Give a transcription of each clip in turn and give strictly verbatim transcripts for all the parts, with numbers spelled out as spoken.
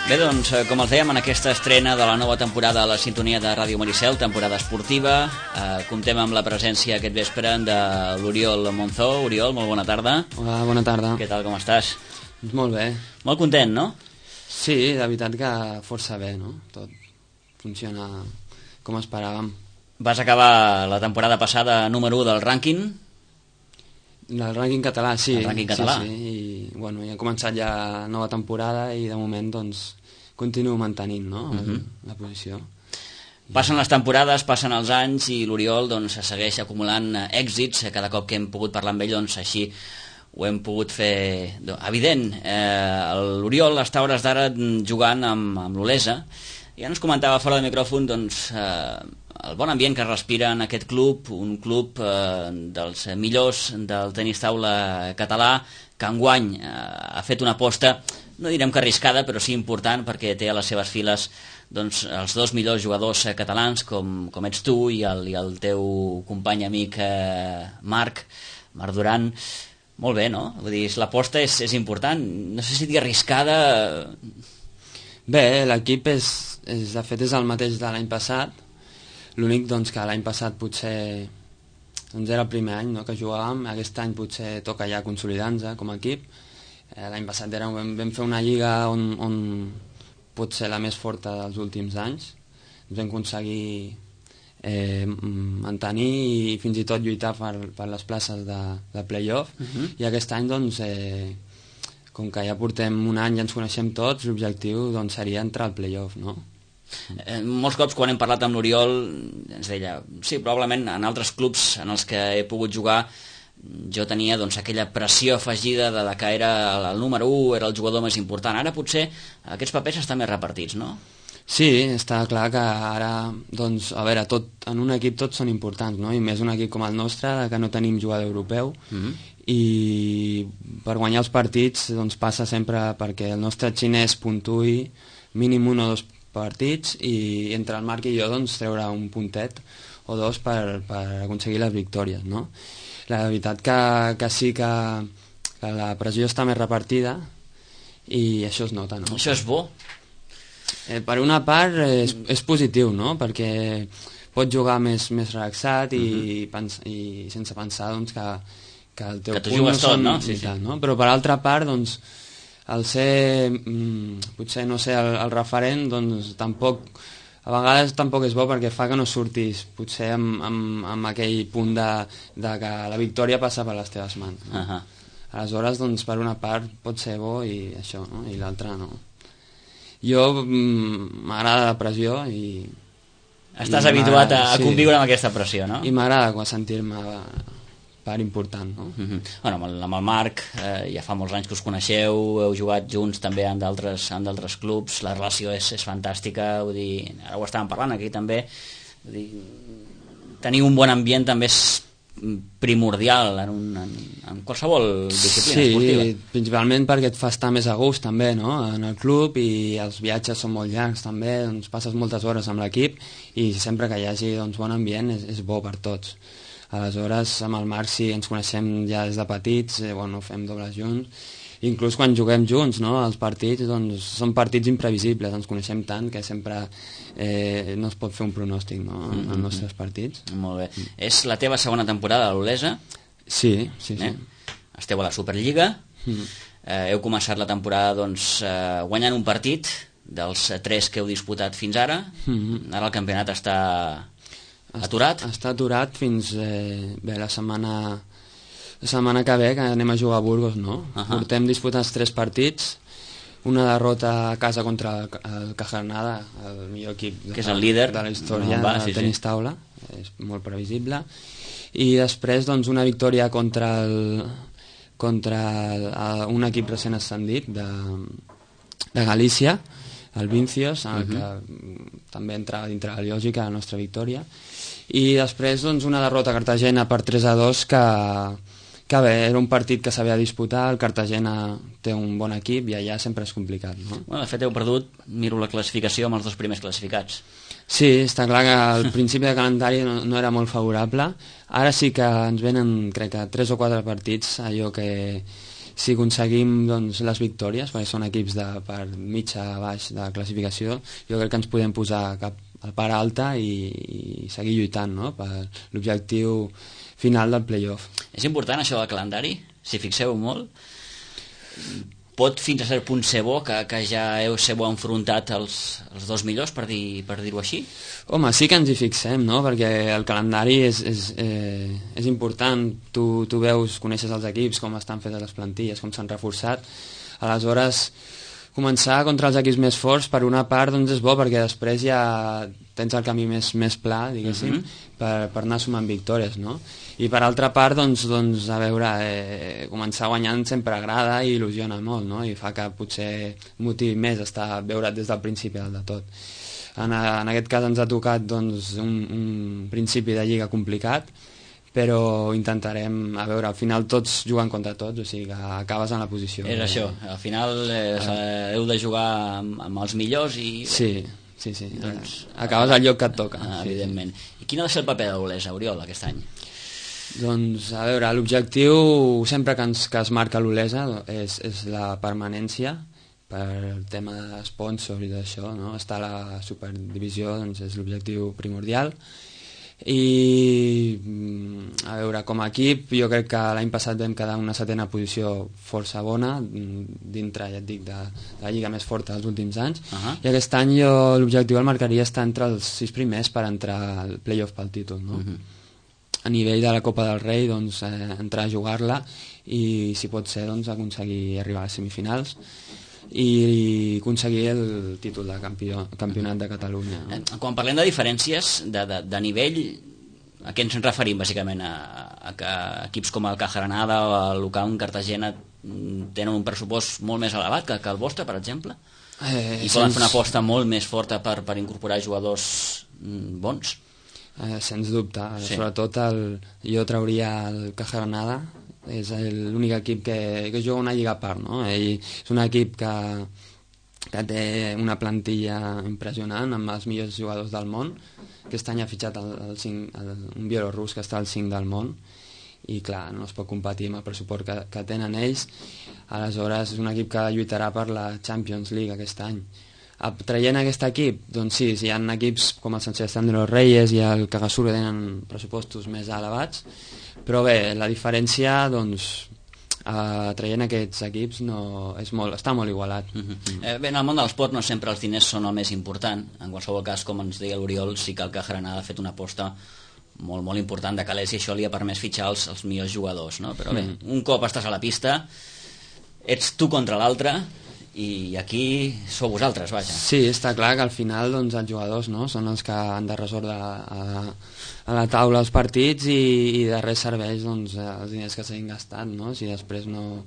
Bé, doncs, com els dèiem, en aquesta estrena de la nova temporada a la sintonia de Ràdio Maricel, temporada esportiva, eh, comptem amb la presència aquest vespre de l'Oriol Monzó. Oriol, molt bona tarda. Hola, bona tarda. Què tal, com estàs? Doncs molt bé. Molt content, no? Sí, de veritat que força bé, no? Tot funciona com esperàvem. Vas acabar la temporada passada número u del rànquing. El rànquing català, sí. El rànquing català. Sí, sí. I, bueno, ja ha començat ja nova temporada i de moment, doncs, continuo mantenint, no?, uh-huh. la posició. Passen les temporades, passen els anys i l'Oriol, doncs, segueix acumulant èxits. Cada cop que hem pogut parlar amb ell, doncs, així ho hem pogut fer evident. Eh, L'Oriol està a hores d'ara jugant amb, amb l'Olesa. Ja ens comentava fora de micròfon, doncs, eh, el bon ambient que respira en aquest club, un club eh, dels millors del tenis taula català, que enguany eh, ha fet una aposta, no direm que arriscada, però sí important, perquè té a les seves files, doncs, els dos millors jugadors eh, catalans, com, com ets tu i el, i el teu company amic eh, Marc, Marc Duran. Molt bé, no? Vull dir, l'aposta és, és important. No sé si dir arriscada. Bé, l'equip és, és, de fet, és el mateix de l'any passat. L'únic, doncs, que l'any passat potser doncs era el primer any, no?, que jugàvem. Aquest any potser toca ja consolidar-nos com a equip. Eh, l'any passat era, vam, vam fer una lliga on, on pot ser la més forta dels últims anys. Ens vam aconseguir eh, mantenir i fins i tot lluitar per, per les places de, de play-off. Uh-huh. I aquest any, doncs, eh, com que ja portem un any i ens coneixem tots, l'objectiu, doncs, seria entrar al play-off, no? Eh, molts cops quan hem parlat amb l'Oriol ens deia, sí, probablement en altres clubs en els que he pogut jugar jo tenia, doncs, aquella pressió afegida de, de que era el número u, era el jugador més important. Ara potser aquests papers estan més repartits, no? Sí, està clar que ara, doncs, a veure, tot, en un equip tots són importants, no? I més un equip com el nostre, que no tenim jugador europeu, mm-hmm. i per guanyar els partits, doncs, passa sempre perquè el nostre xinès puntuï mínim un o dos partits i entre el Marc i jo, doncs, treure un puntet o dos per, per aconseguir les victòries, no? La veritat que, que sí que, que la pressió està més repartida i això es nota, no? Això és bo. Eh, per una part és, és positiu, no? Perquè pots jugar més, més relaxat i, uh-huh. pens i sense pensar, doncs, que, que el teu que tu punt jugues no tot, són, no? Sí, sí. Tal, no? Però per altra part, doncs, el ser, mm, potser no ser el, el referent, doncs tampoc, a vegades tampoc és bo perquè fa que no surtis potser amb, amb, amb aquell punt de, de que la victòria passa per les teves mans, no? Uh-huh. Aleshores, doncs, per una part pot ser bo i això, no? I l'altra no. Jo mm, m'agrada la pressió i... Estàs i habituat a, a conviure sí. amb aquesta pressió, no? I m'agrada sentir-me part important, no? Mm-hmm. Bueno, amb el, amb el Marc eh, ja fa molts anys que us coneixeu, heu jugat junts també en d'altres en d'altres clubs, la relació és, és fantàstica, vull dir, ara ho estàvem parlant aquí també, vull dir, tenir un bon ambient també és primordial en, un, en, en qualsevol disciplina sí, esportiva. Sí, principalment perquè et fa estar més a gust també, no?, en el club, i els viatges són molt llargs també, doncs passes moltes hores amb l'equip i sempre que hi hagi, doncs, bon ambient és, és bo per tots. Aleshores, amb el Marc sí, ens coneixem ja des de petits, eh, bueno, fem dobles junts, inclús quan juguem junts, no?, els partits, doncs, són partits imprevisibles, ens coneixem tant que sempre eh, no es pot fer un pronòstic, no?, en mm-hmm. els nostres partits. Molt bé. Mm. És la teva segona temporada a l'Olesa? Sí, sí, sí. Eh? Esteu a la Superliga, mm. eh, heu començat la temporada, doncs, eh, guanyant un partit dels tres que heu disputat fins ara, mm-hmm. ara el campionat està... aturat? Està aturat fins eh, bé, la setmana la setmana que ve, que anem a jugar a Burgos, no? Uh-huh. Portem disputats tres partits, una derrota a casa contra el, el Cajarnada, el millor equip de, que és el líder de la història no, va, del sí, tenis sí. taula, és molt previsible, i després, doncs, una victòria contra el, contra el, un equip recent ascendit de, de Galícia, el Vincios, el uh-huh. que també entra dintre la lògica de la nostra victòria, i després, doncs, una derrota a Cartagena per tres a dos que, que bé, era un partit que s'havia de disputar, el Cartagena té un bon equip i allà sempre és complicat, no? Bueno, de fet heu perdut, miro la classificació, amb els dos primers classificats. Sí, està clar que al principi de calendari no, no era molt favorable, ara sí que ens venen, crec que tres o quatre partits, allò que si aconseguim doncs, les victòries, perquè són equips de, per mitja a baix de classificació, jo crec que ens podem posar cap a part alta i, i seguir lluitant, no?, per l'objectiu final del play-off. És important això del calendari, si fixeu molt. Pot fins a cert punt ser bo que, que ja heu ser bo enfrontat els, els dos millors, per dir, per dir-ho així? Home, sí que ens hi fixem, no?, perquè el calendari és, és, eh, és important. Tu, tu veus, coneixes els equips, com estan fetes les plantilles, com s'han reforçat. Aleshores, començar contra els equips més forts, per una part, doncs és bo, perquè després ja tens el camí més, més pla, diguéssim, uh -huh. per, per anar sumant victòries, no? I per altra part, doncs, doncs a veure, eh, començar guanyant sempre agrada i il·lusiona molt, no? I fa que potser motivi més estar veure't des del principi del de tot. En, en aquest cas ens ha tocat doncs, un, un principi de lliga complicat, però intentarem, a veure, al final tots juguen contra tots, o sigui que acabes en la posició. És això, al final eh, eh, heu de jugar amb, amb els millors i... Sí, sí, sí, doncs, acabes al lloc que et toca. Ah, sí, evidentment. sí. I quin ha de ser el paper de l'Olesa, Oriol, aquest any? Doncs, a veure, l'objectiu sempre que, ens, que es marca l'Olesa és, és la permanència, per el tema de sponsor i d'això, no? Estar a la superdivisió doncs, és l'objectiu primordial. I a veure, com a equip jo crec que l'any passat vam quedar en una setena posició força bona dintre, ja et dic, de, de la lliga més forta dels últims anys. Uh -huh. I aquest any jo l'objectiu el marcaria estar entre els sis primers per entrar al playoff pel títol, no? Uh -huh. A nivell de la Copa del Rei, doncs, eh, entrar a jugar-la i, si pot ser, doncs, aconseguir arribar a les semifinals i aconseguir el títol de campió, campionat de Catalunya, no? Quan parlem de diferències de, de, de nivell, a què ens referim bàsicament? A, a que equips com el Caja Granada o el Lucaun Cartagena tenen un pressupost molt més elevat que, que el vostre, per exemple? Eh, I poden sens... fer una aposta molt més forta per, per incorporar jugadors bons? Eh, sens dubte, sí. Sobretot el, jo trauria el Caja Granada, és l'únic equip que, que juga una lliga a part, no? Ell és un equip que, que té una plantilla impressionant amb els millors jugadors del món. Aquest any ha fitxat el, el cinc, el, un bielorrus que està al cinc del món i clar, no es pot competir amb el pressupost que, que tenen ells. Aleshores és un equip que lluitarà per la Champions League aquest any. Traient aquest equip, doncs sí, hi ha equips com el Sánchez de los Reyes i el Cagasur que tenen pressupostos més elevats, però bé, la diferència, doncs, eh, traient aquests equips no, és molt, està molt igualat. Uh -huh. eh, bé, en el món de l'esport no sempre els diners són el més important. En qualsevol cas, com ens deia l'Oriol, sí que el Caja Granada ha fet una aposta molt, molt important de calés i això li ha permès fitxar els, els millors jugadors, no? Però bé, uh -huh. un cop estàs a la pista, ets tu contra l'altre, i aquí sou vosaltres, vaja. Sí, està clar que al final doncs, els jugadors, no?, són els que han de resoldre a, a la taula els partits i, i de res serveix doncs, els diners que s'hagin gastat, no?, si després no,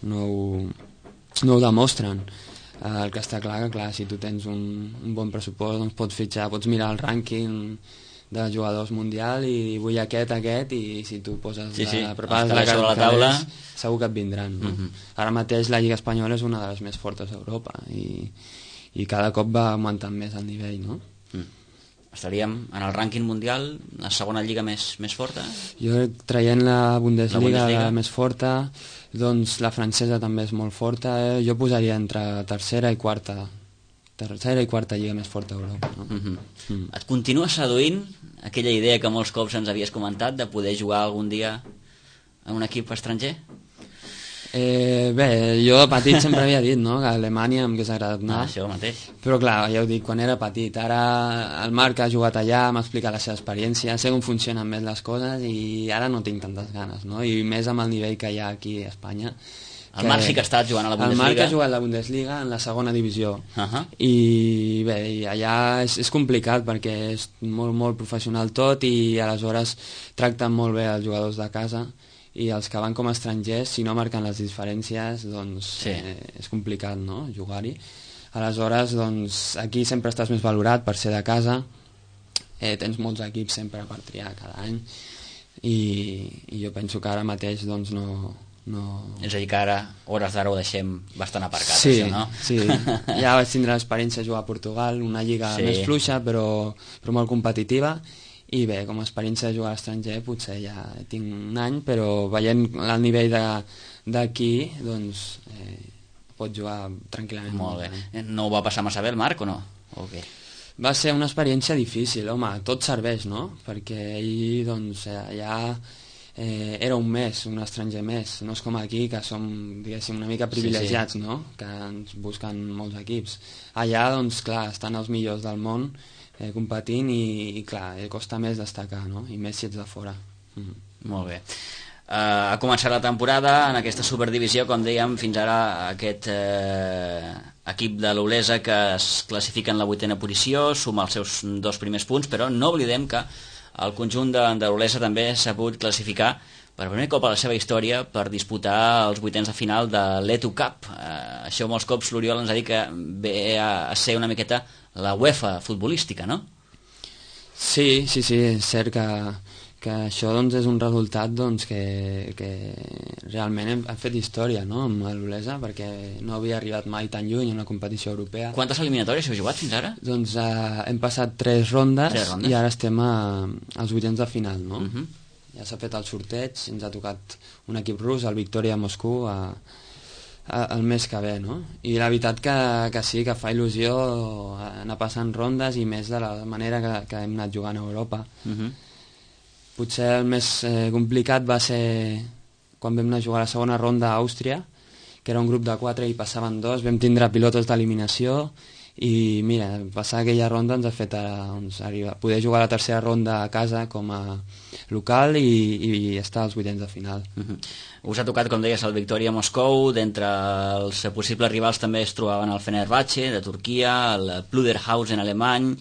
no, ho, no ho demostren. El que està clar que clar, si tu tens un, un bon pressupost doncs pots fitxar, pots mirar el rànquing de jugadors mundial i vull aquest, aquest, i si tu poses sí, sí. la, prepares la, la, la taula és, segur que et vindran, no? Uh -huh. Ara mateix la Lliga Espanyola és una de les més fortes d'Europa i, i cada cop va augmentant més el nivell, no? Mm. Estaríem en el rànquing mundial la segona lliga més, més forta? Jo traient la Bundesliga, la Bundesliga. La més forta, doncs la francesa també és molt forta, eh? Jo posaria entre tercera i quarta tercera i quarta lliga més forta d'Europa, no? Uh -huh. mm. Et continua seduint aquella idea que molts cops ens havies comentat de poder jugar algun dia en un equip estranger? Eh, bé, jo de petit sempre havia dit, no?, que a Alemanya em hagués agradat anar. Ah, això mateix. Però clar, ja ho dic, quan era petit. Ara el Marc ha jugat allà, m'ha explicat la seva experiència, sé com funcionen més les coses i ara no tinc tantes ganes, no? I més amb el nivell que hi ha aquí a Espanya. El Marc sí que ha estat jugant a la Bundesliga. El Marc ha jugat a la Bundesliga en la segona divisió. Uh -huh. I bé, i allà és, és complicat perquè és molt, molt professional tot i aleshores tracten molt bé els jugadors de casa i els que van com a estrangers, si no marquen les diferències, doncs sí. eh, és complicat, no?, jugar-hi. Aleshores, doncs, aquí sempre estàs més valorat per ser de casa, eh, tens molts equips sempre per triar cada any i, i jo penso que ara mateix doncs no... No... És a dir, que ara, hores d'ara, ho deixem bastant aparcat, sí, això, no? Sí, ja vaig tindre l'experiència de jugar a Portugal, una lliga sí. més fluixa, però, però molt competitiva, i bé, com a experiència de jugar a l'estranger, potser ja tinc un any, però veient el nivell de, d'aquí, doncs eh, pot jugar tranquil·lament. Molt bé. No ho va passar massa bé el Marc o no? O què? Va ser una experiència difícil, home, tot serveix, no? Perquè ell, doncs, allà eh, era un més, un estranger més. No és com aquí, que som, diguéssim, una mica privilegiats, sí, sí. No? Que ens busquen molts equips. Allà, doncs, clar, estan els millors del món eh, competint i, i, clar, costa més destacar, no? I més si ets de fora. Mm. Molt bé. Uh, ha començat la temporada en aquesta superdivisió, com dèiem, fins ara aquest uh, equip de l'Olesa que es classifica en la vuitena posició, suma els seus dos primers punts, però no oblidem que el conjunt de, de l'Olesa també s'ha pogut classificar per primer cop a la seva història per disputar els vuitens de final de l'Eto Cup. Uh, això molts cops l'Oriol ens ha dit que ve a, a ser una miqueta la UEFA futbolística, no? Sí, sí, sí, és cert que que això doncs, és un resultat doncs, que, que realment hem, hem fet història, no?, amb l'Olesa, perquè no havia arribat mai tan lluny en una competició europea. Quantes eliminatòries heu jugat fins ara? Doncs eh, hem passat tres rondes, tres rondes i ara estem a, als vuitens de final, no? Uh -huh. Ja s'ha fet el sorteig, ens ha tocat un equip rus, el Victoria Moscou, a, a, el mes que ve, no? I la veritat que, que sí, que fa il·lusió anar passant rondes i més de la manera que, que hem anat jugant a Europa. Uh -huh. Potser el més eh, complicat va ser quan vam anar a jugar a la segona ronda a Àustria, que era un grup de quatre i passaven dos, vam tindre pilotos d'eliminació i mira, passar aquella ronda ens ha fet ara, doncs, arribar, poder jugar a la tercera ronda a casa com a local i, i estar als vuitens de final. Uh-huh. Us ha tocat, com deies, el Victoria Moscou, d'entre els possibles rivals també es trobaven el Fenerbahce de Turquia, el Pluderhausen alemany,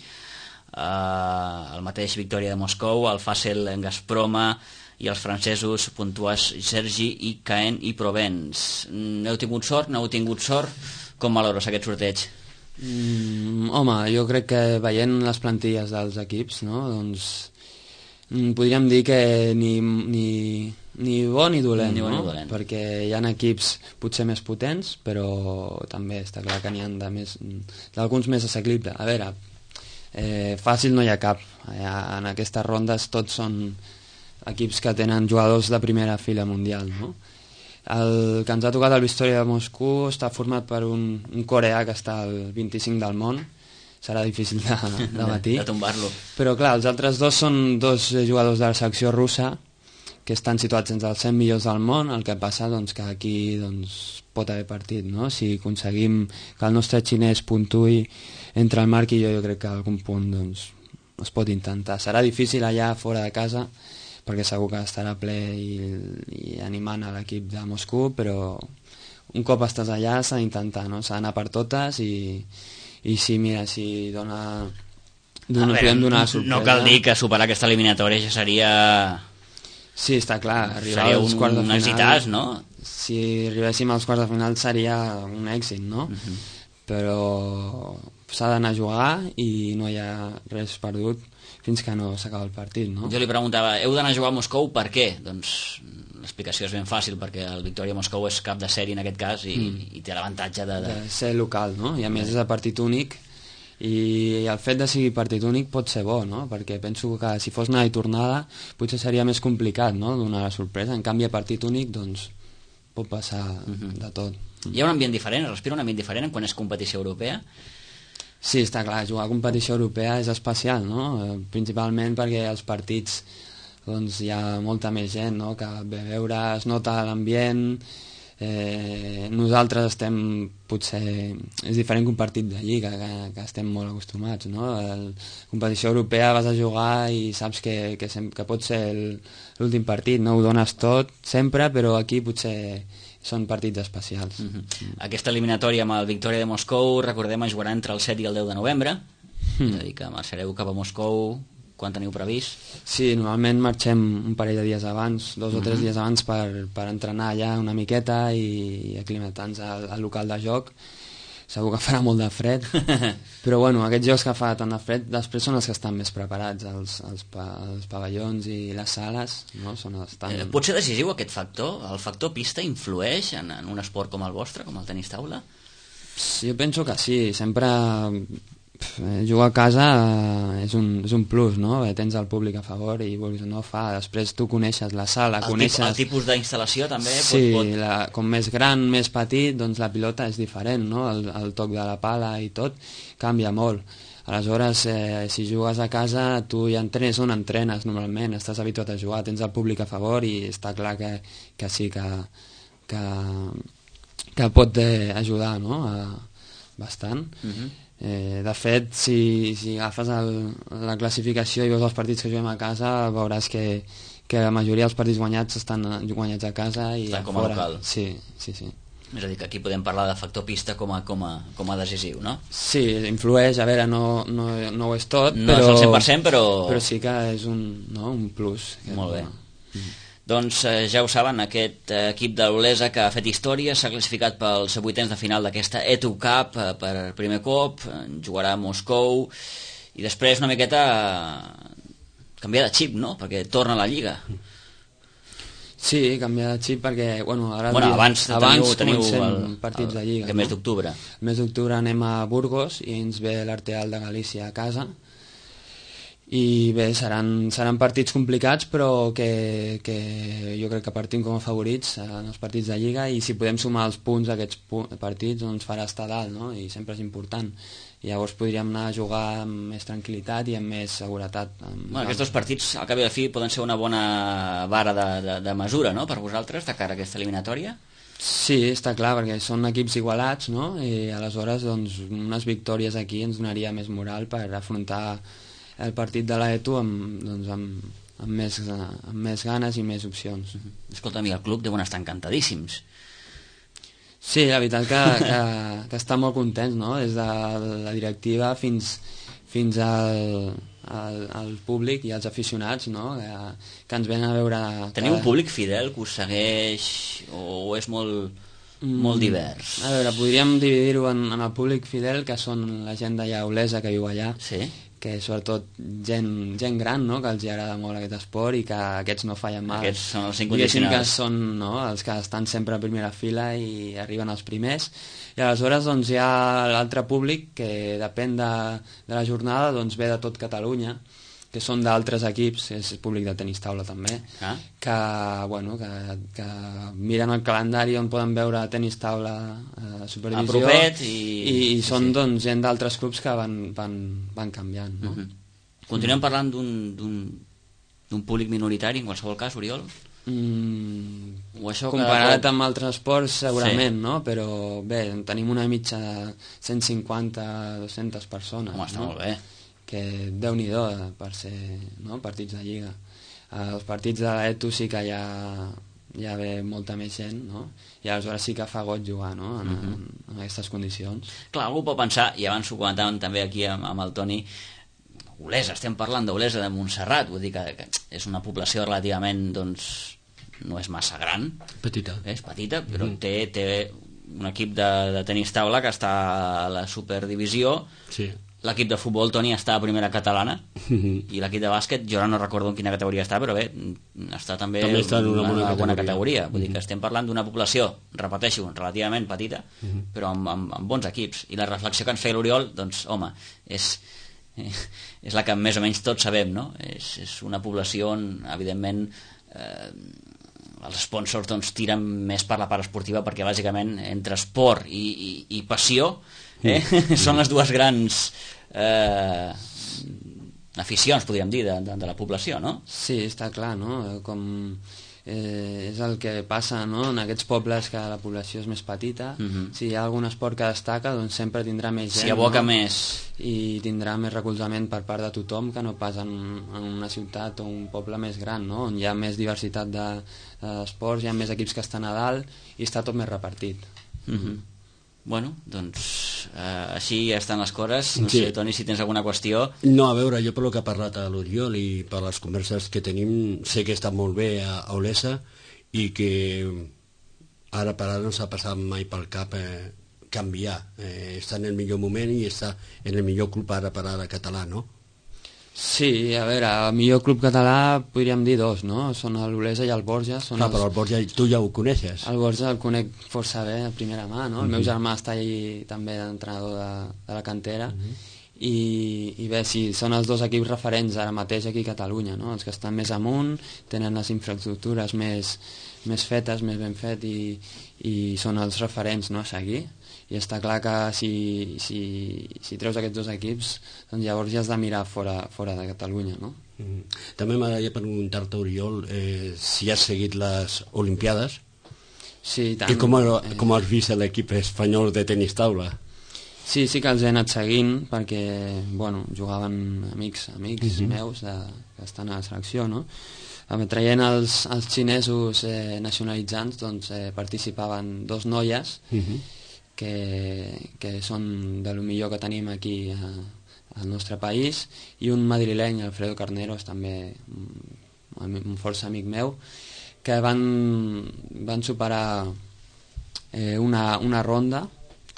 Uh, el mateix Victòria de Moscou, el Fassel Gazproma i els francesos Pontoise Sergi i Caen i Provence. N'heu tingut sort? No heu tingut sort? Com valores aquest sorteig? Mm, home, jo crec que veient les plantilles dels equips, no, doncs podríem dir que ni, ni, ni bo ni dolent, ni bo, no? Ni dolent. Perquè hi ha equips potser més potents, però també està clar que n'hi ha de més, d'alguns més assequibles. A veure, Eh, fàcil no hi ha cap. En aquestes rondes tots són equips que tenen jugadors de primera fila mundial, no? El que ens ha tocat el Victoria de Moscou està format per un, un coreà que està al vint-i-cinc del món, serà difícil de, de batir, de tombar-lo. Però clar, els altres dos són dos jugadors de la selecció russa que estan situats entre els cent millors del món. El que passa doncs, que aquí doncs, pot haver partit, no? Si aconseguim que el nostre xinès puntuï entre el Marc i jo, jo crec que a algun punt doncs, es pot intentar. Serà difícil allà fora de casa, perquè segur que estarà ple i, i animant a l'equip de Moscou, però un cop estàs allà s'ha d'intentar, no? S'ha d'anar per totes i, i sí, mira, si dona, dona, veure, donar sorpresa. No cal dir que superar aquesta eliminatòria ja seria... Sí, està clar, arribar seria als un, quarts de un final... exitàs, no? Si arribéssim als quarts de final seria un èxit, no? Uh -huh. Però s'ha d'anar a jugar i no hi ha res perdut fins que no s'acaba el partit, no? Jo li preguntava, heu d'anar a jugar a Moscou, per què? Doncs l'explicació és ben fàcil, perquè el Victoria Moscou és cap de sèrie en aquest cas i, mm. i té l'avantatge de, de... de ser local, no? I a més és a partit únic i el fet de sigui partit únic pot ser bo, no? Perquè penso que si fos anada i tornada potser seria més complicat, no?, donar la sorpresa. En canvi a partit únic doncs pot passar mm -hmm. de tot. Hi ha un ambient diferent, es respira un ambient diferent quan és competició europea? Sí, està clar, jugar a competició europea és especial, no? Principalment perquè els partits doncs hi ha molta més gent, no?, que ve a veure, es nota l'ambient. Eh, nosaltres estem potser és diferent que un partit de lliga que, que estem molt acostumats, no? La competició europea vas a jugar i saps que, que, sem que pot ser l'últim partit, no ho dones tot sempre, però aquí potser són partits especials. Mm -hmm. mm. Aquesta eliminatòria amb el Victoria de Moscou, recordem, es jugarà entre el set i el deu de novembre, mm. és a dir que marxareu cap a Moscou quan teniu previst? Sí, normalment marxem un parell de dies abans, dos mm -hmm. o tres dies abans per, per entrenar allà una miqueta i, i aclimatar-nos al, al local de joc. Segur que farà molt de fred, però bueno, aquests jocs que fa tant de fred després són els que estan més preparats, els, els, pa, els pavellons i les sales, no? Són els tan... eh, pot ser decisiu aquest factor? El factor pista influeix en, en un esport com el vostre, com el tenis taula? Sí, jo penso que sí, sempre Jugar a casa és un, és un plus, no? Tens el públic a favor i vulguis o no fa. Després tu coneixes la sala, el coneixes... Tip, el tipus d'instal·lació també sí, pot... pot... La, com més gran, més petit, doncs la pilota és diferent, no? El, el toc de la pala i tot canvia molt. Aleshores, eh, si jugues a casa, tu ja entrenes on entrenes normalment, estàs habituat a jugar, tens el públic a favor i està clar que, que sí, que, que, que pot eh, ajudar, no? A, bastant. Uh-huh. Eh, de fet, si, si agafes el, la classificació i veus els partits que juguem a casa, veuràs que, que la majoria dels partits guanyats estan guanyats a casa i estan a com a fora. local. Sí, sí, sí. És a dir, que aquí podem parlar de factor pista com a, com a, com a decisiu, no? Sí, influeix, a veure, no, no, no ho és tot, no però... és el cent per cent, però... Però sí que és un, no, un plus. Molt bé. Mm. Doncs eh, ja ho saben, aquest eh, equip de l'Olesa que ha fet història, s'ha classificat pels vuitens de final d'aquesta E T U Cup eh, per primer cop, eh, jugarà a Moscou i després una miqueta eh, canviar de xip, no? Perquè torna a la Lliga. Sí, canviar de xip perquè, bueno, ara... Bueno, dia, abans, abans teniu, teniu el, partits el, de Lliga. El mes no? d'octubre. El mes d'octubre anem a Burgos i ens ve l'Arteal de Galícia a casa. I bé, seran, seran partits complicats, però que, que jo crec que partim com a favorits en els partits de Lliga, i si podem sumar els punts d'aquests pu partits doncs farà estar dalt, no? I sempre és important. I llavors podríem anar a jugar amb més tranquil·litat i amb més seguretat. Amb... Bueno, aquests dos partits, al cap i a la fi, poden ser una bona vara de, de, de mesura, no?, per vosaltres, de cara a aquesta eliminatòria? Sí, està clar, perquè són equips igualats, no? I aleshores doncs, unes victòries aquí ens donaria més moral per afrontar el partit de l'E T U amb, doncs, amb, amb, més, amb més ganes i més opcions. Escolta'm, i el club deuen estar encantadíssims. Sí, la veritat que, que, que està molt contents, no? Des de la directiva fins, fins al, al, al públic i als aficionats, no? Que, que ens venen a veure... Teniu que... un públic fidel que us segueix o és molt, mm, molt divers? A veure, podríem dividir-ho en, en el públic fidel, que són la gent d'allà olesa que viu allà, sí? que sobretot gent, gent gran, no?, que els agrada molt aquest esport i que aquests no fallen mai. Aquests són els incondicionals. Que són, no?, els que estan sempre a primera fila i arriben els primers. I aleshores doncs, hi ha l'altre públic que depèn de, de la jornada, doncs ve de tot Catalunya, que són d'altres equips, és públic de tenis taula també, ah. que, bueno, que, que miren el calendari on poden veure tenis taula a eh, supervisió i... i, i són sí. doncs, gent d'altres clubs que van, van, van canviant. No? Uh-huh. Continuem mm. parlant d'un públic minoritari, en qualsevol cas, Oriol? Mm, o això comparat que... amb altres esports segurament, sí. no? Però bé, tenim una mitja de cent cinquanta a dues-centes persones. Home, està no? molt bé. Que Déu-n'hi-do per ser, no?, partits de Lliga. Els partits de l'E T U sí que ja, ja ve molta més gent, no? I aleshores sí que fa goig jugar, no?, en, uh-huh. en, en aquestes condicions. Clar, algú pot pensar, i abans ho comentàvem també aquí amb, amb el Toni, Olesa, estem parlant d'Olesa de Montserrat, vull dir que, que és una població relativament, doncs, no és massa gran. Petita. És petita, però uh-huh. té, té un equip de, de tenis taula que està a la superdivisió. Sí. L'equip de futbol, Toni, està a primera catalana, uh-huh. i l'equip de bàsquet, jo ara no recordo en quina categoria està, però bé, està també, també està en una, una, bona, una bona categoria. categoria. Vull uh-huh. dir que estem parlant d'una població, repeteixo, relativament petita, uh-huh. però amb, amb, amb bons equips. I la reflexió que ens feia l'Oriol, doncs, home, és, és la que més o menys tots sabem, no? És, és una població on, evidentment, eh, els sponsors doncs, tiren més per la part esportiva, perquè bàsicament entre esport i, i, i passió eh? mm. són les dues grans eh, aficions, podríem dir, de, de, de la població, no? Sí, està clar, no? Com eh, és el que passa, no?, en aquests pobles que la població és més petita. Mm-hmm. Si hi ha algun esport que destaca, doncs sempre tindrà més gent, si aboca, no?, més, i tindrà més recolzament per part de tothom, que no pas en, en una ciutat o un poble més gran, no?, on hi ha més diversitat d'esports, de, hi ha més equips que estan a dalt i està tot més repartit. Mm-hmm. Bueno, doncs eh, així ja estan les coses. No sí. sé, Toni, si tens alguna qüestió. No, a veure, jo per lo que ha parlat a l'Oriol i per les converses que tenim, sé que està molt bé a, a Olesa i que ara per ara no s'ha passat mai pel cap eh, canviar. Eh, està en el millor moment i està en el millor club ara per ara català, no? Sí, a veure, el millor club català podríem dir dos, no? Són l'Olesa i el Borja. Són ah, els... però el Borja tu ja ho coneixes. El Borja el conec força bé a primera mà, no? El uh-huh. meu germà està allí també d'entrenador de, de la cantera, uh-huh. i, i bé, sí, són els dos equips referents ara mateix aquí a Catalunya, no? Els que estan més amunt, tenen les infraestructures més, més fetes, més ben fet i, i són els referents, no?, a seguir. I està clar que si, si, si treus aquests dos equips, doncs llavors ja has de mirar fora, fora de Catalunya, no? Mm. També m'agradaria preguntar-te, Oriol, eh, si has seguit les Olimpiades. Sí, tant. I com, eh... com has vist l'equip espanyol de tenis taula? Sí, sí que els he anat seguint perquè, bueno, jugaven amics, amics uh-huh. meus de, que estan a la selecció, no? Traient els, els xinesos eh, nacionalitzants, doncs eh, participaven dos noies uh-huh. que, que són de lo millor que tenim aquí a, al nostre país, i un madrileny, Alfredo Carneros, també un, un força amic meu, que van, van superar eh, una, una ronda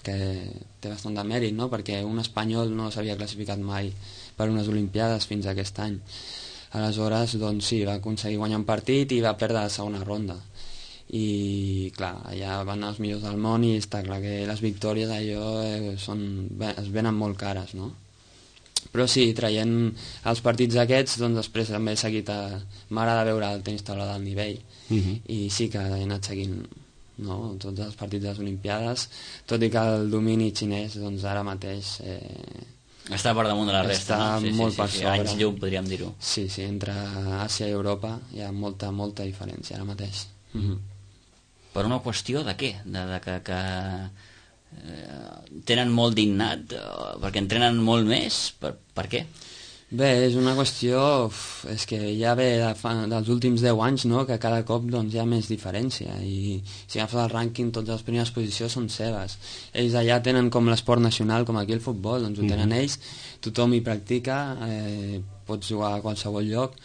que té bastant de mèrit, no?, perquè un espanyol no s'havia classificat mai per unes Olimpiades fins a aquest any. Aleshores, doncs sí, va aconseguir guanyar un partit i va perdre la segona ronda. I, clar, allà van els millors del món i està clar que les victòries allò eh, són, es venen molt cares, no? Però sí, traient els partits aquests, doncs després també he seguit a... M'agrada veure el tenis taula del nivell uh-huh. i sí que he anat seguint, no?, tots els partits de les Olimpiades, tot i que el domini xinès doncs ara mateix eh, està per damunt de la resta, està no? Sí, molt sí, per sí, sobre. Anys llum, podríem dir-ho. Sí, sí, entre Àsia i Europa hi ha molta, molta diferència ara mateix. Mm-hmm. Per una qüestió de què? De, de que, que eh, tenen molt d'innat, perquè entrenen molt més? Per, per què? Bé, és una qüestió, uf, és que ja ve de fa, dels últims deu anys, no?, que cada cop doncs, hi ha més diferència i si agafes el rànquing totes les primeres posicions són seves. Ells allà tenen com l'esport nacional, com aquí el futbol, doncs ho tenen mm-hmm. ells, tothom hi practica, eh, pots jugar a qualsevol lloc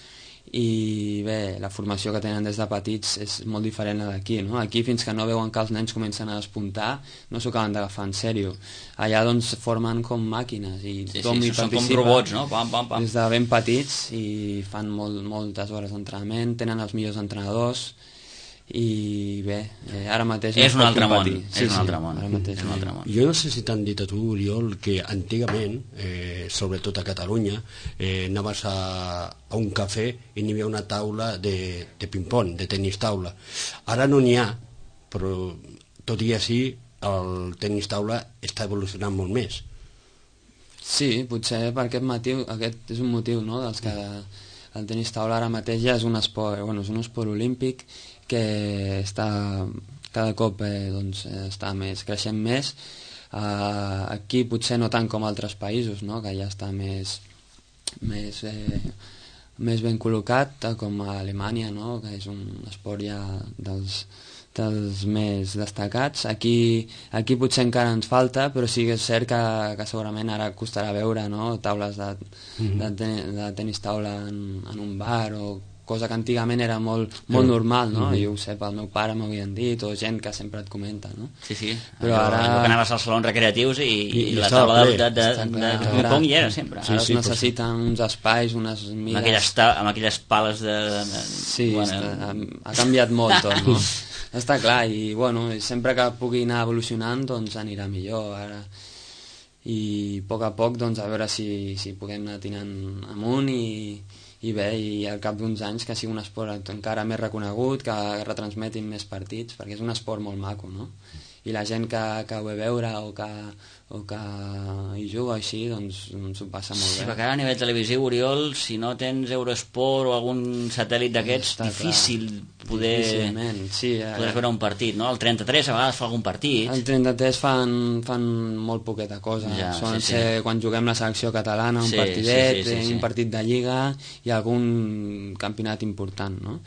i bé, la formació que tenen des de petits és molt diferent a d'aquí, no? Aquí fins que no veuen que els nens comencen a despuntar no s'ho acaben d'agafar en sèrio. Allà doncs formen com màquines i sí, tothom sí, hi són participa, com robots, no? Pam, pam, pam. Des de ben petits i fan molt, moltes hores d'entrenament, tenen els millors entrenadors i bé, eh, ara mateix és un altre món, sí, és un altre món, ara mateix és un altre món. Jo no sé si t'han dit a tu, Oriol, que antigament, eh, sobretot a Catalunya, eh, anaves a, a un cafè i n'hi havia una taula de, de ping-pong, de tenis taula. Ara no n'hi ha, però tot i així el tenis taula està evolucionant molt més. Sí, potser per aquest motiu, aquest és un motiu, no?, dels que el tenis taula ara mateix ja és un esport, bueno, és un esport olímpic que està cada cop eh, doncs, està més creixent més. Uh, aquí potser no tant com altres països, no?, que ja està més més, eh, més ben col·locat, com a Alemanya, no?, que és un esport ja dels, dels més destacats. Aquí, aquí potser encara ens falta, però sí que és cert que, que segurament ara costarà veure, no?, taules de, mm-hmm. de, ten de tenis taula en, en un bar, o cosa que antigament era molt, molt normal, no? Mm-hmm. Jo ho sé, pel meu pare m'havien dit, o gent que sempre et comenta, no? Sí, sí, però allò, ara... allò que anaves als salons recreatius i, i, I la taula de, de, de, de, de, de ping-pong hi era sempre. Sí, ara sí, es necessiten uns espais, unes mides... Amb aquelles, ta amb aquelles pales de... de... Sí, bueno, està, ha canviat molt tot, no? Està clar, i bueno, sempre que pugui anar evolucionant, doncs anirà millor, ara... I a poc a poc, doncs, a veure si, si puguem anar tirant amunt i... i bé, i al cap d'uns anys que sigui un esport encara més reconegut, que retransmetin més partits, perquè és un esport molt maco, no? I la gent que, que ho ve veure o que, o que hi juga així, doncs s'ho passa molt sí, bé. Sí, perquè ara a nivell televisiu, Oriol, si no tens Eurosport o algun satèl·lit d'aquests, difícil clar. poder sí, eh, poder veure un partit, no? El trenta-tres a vegades fa algun partit. El trenta-tres fan, fan molt poqueta cosa. Ja, Solen sí, ser sí. quan juguem la selecció catalana, un sí, partidet, sí, sí, sí, sí. un partit de lliga i algun campionat important, no?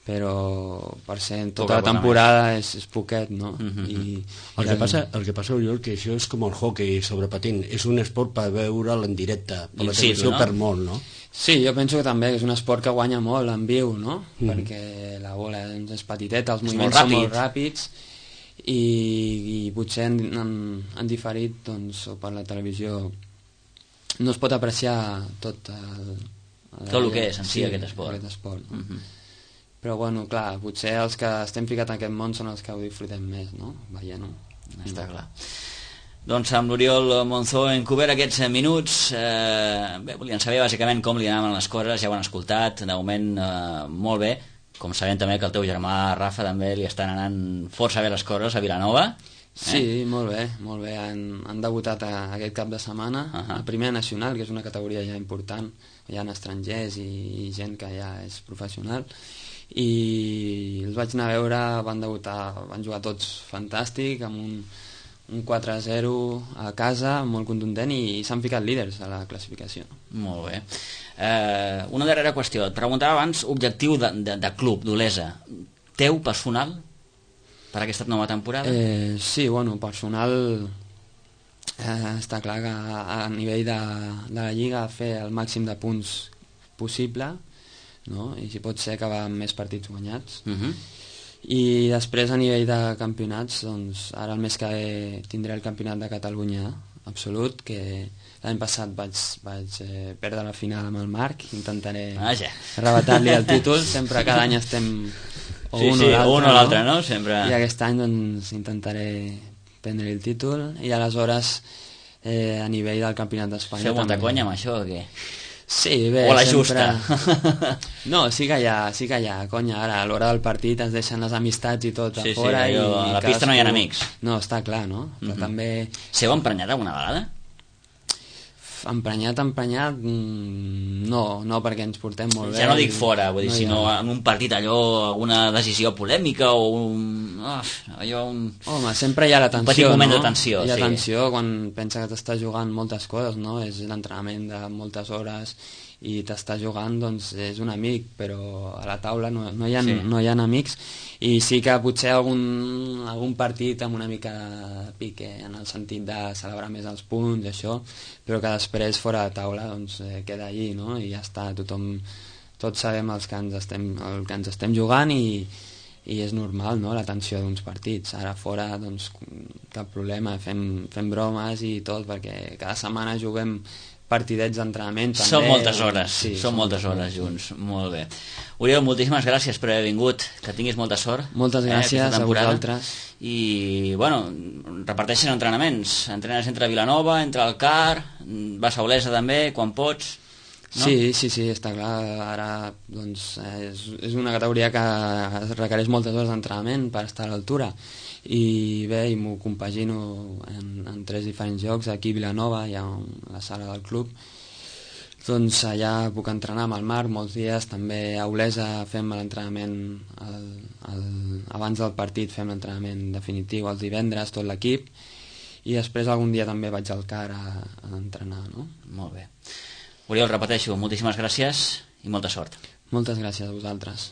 Però per ser tota la temporada és, és poquet, no? Mm-hmm. I, el, que passa, el que passa, Oriol, que això és com el hockey sobre patint, és un esport per veure'l en directe, per la televisió, no? Per molt, no? Sí, jo penso que també és un esport que guanya molt en viu, no? Mm-hmm. Perquè la bola doncs, és petiteta, els moviments són molt ràpids i, i potser en, en, en diferit doncs, o per la televisió no es pot apreciar tot el, el, tot el que és en si sí, aquest esport, aquest esport no? Mm-hmm. Però bueno, clar, potser els que estem ficats en aquest món són els que ho disfrutem més, no? Veient-ho. Està clar. Doncs amb l'Oriol Monzó hem cobert aquests minuts. Eh, bé, volien saber bàsicament com li anaven les coses, ja ho han escoltat, de moment eh, molt bé. Com sabem també que el teu germà Rafa també li estan anant força bé les coses a Vilanova. Sí, eh? molt bé, molt bé. Han, han debutat a, aquest cap de setmana uh -huh. a Primera Nacional, que és una categoria ja important. Hi ha estrangers i, i gent que ja és professional. I els vaig anar a veure, van debutar, van jugar tots fantàstic, amb un un quatre a zero a casa, molt contundent, i s'han ficat líders a la classificació. Molt bé. Eh, una darrera qüestió. Et preguntava abans, objectiu de, de, de club, d'Olesa, teu personal per aquesta nova temporada? Eh, sí, bueno, personal eh, està clar que a, a nivell de, de la Lliga fer el màxim de punts possible, no? I si pot ser acabar amb més partits guanyats. Uh -huh. I després a nivell de campionats, doncs ara el mes que ve tindré el campionat de Catalunya absolut, que l'any passat vaig, vaig eh, perdre la final amb el Marc. Intentaré arrebatar-li el títol, sempre cada any estem o sí, un sí, o l'altre, no? no? Sempre... I aquest any doncs intentaré prendre el títol, i aleshores eh, a nivell del campionat d'Espanya feu molta també... conya amb això o què? Sí, bé, o la sempre... justa? No, sí que hi ha, sí que hi ha conya. Ara, a l'hora del partit es deixen les amistats i tot sí, a fora. Sí, allò, i a la pista no hi ha amics. No, està clar, no? Però uh-huh. també... Seu emprenyat alguna vegada? Emprenyat, emprenyat, no, no, perquè ens portem molt bé. Ja no dic fora, vull dir, no sinó ha... en un partit allò, alguna decisió polèmica o un... Oh, allò, un... Home, sempre hi ha la tensió, un petit moment no? de tensió, hi ha sí. tensió quan pensa que t'estàs jugant moltes coses, no? És l'entrenament de moltes hores i t'està jugant, doncs és un amic, però a la taula no, no, hi ha, sí. no hi ha amics, i sí que potser algun, algun partit amb una mica de pique en el sentit de celebrar més els punts, això, però que després fora de taula doncs eh, queda allí, no? I ja està, tothom, tots sabem els que ens estem, el que ens estem jugant, i, i és normal, no?, la tensió d'uns partits. Ara fora, doncs, cap problema, fem, fem bromes i tot, perquè cada setmana juguem partidets d'entrenament també. Són moltes hores, sí, són moltes hores junts, molt bé. Oriol, moltíssimes gràcies per haver vingut, que tinguis molta sort. Moltes gràcies eh, a vosaltres. I, bueno, reparteixes entrenaments, entrenes entre Vilanova, entre el Car, vas a Olesa també, quan pots, no? Sí, sí, sí, està clar, ara doncs, és, és una categoria que requereix moltes hores d'entrenament per estar a l'altura, i bé, i m'ho compagino en, en tres diferents llocs. Aquí a Vilanova hi ha un, la sala del club, doncs allà puc entrenar amb el Marc molts dies. També a Olesa fem l'entrenament el, el, abans del partit, fem l'entrenament definitiu els divendres, tot l'equip, i després algun dia també vaig al Car a, a entrenar, no? Molt bé. Oriol, repeteixo, moltíssimes gràcies i molta sort. Moltes gràcies a vosaltres.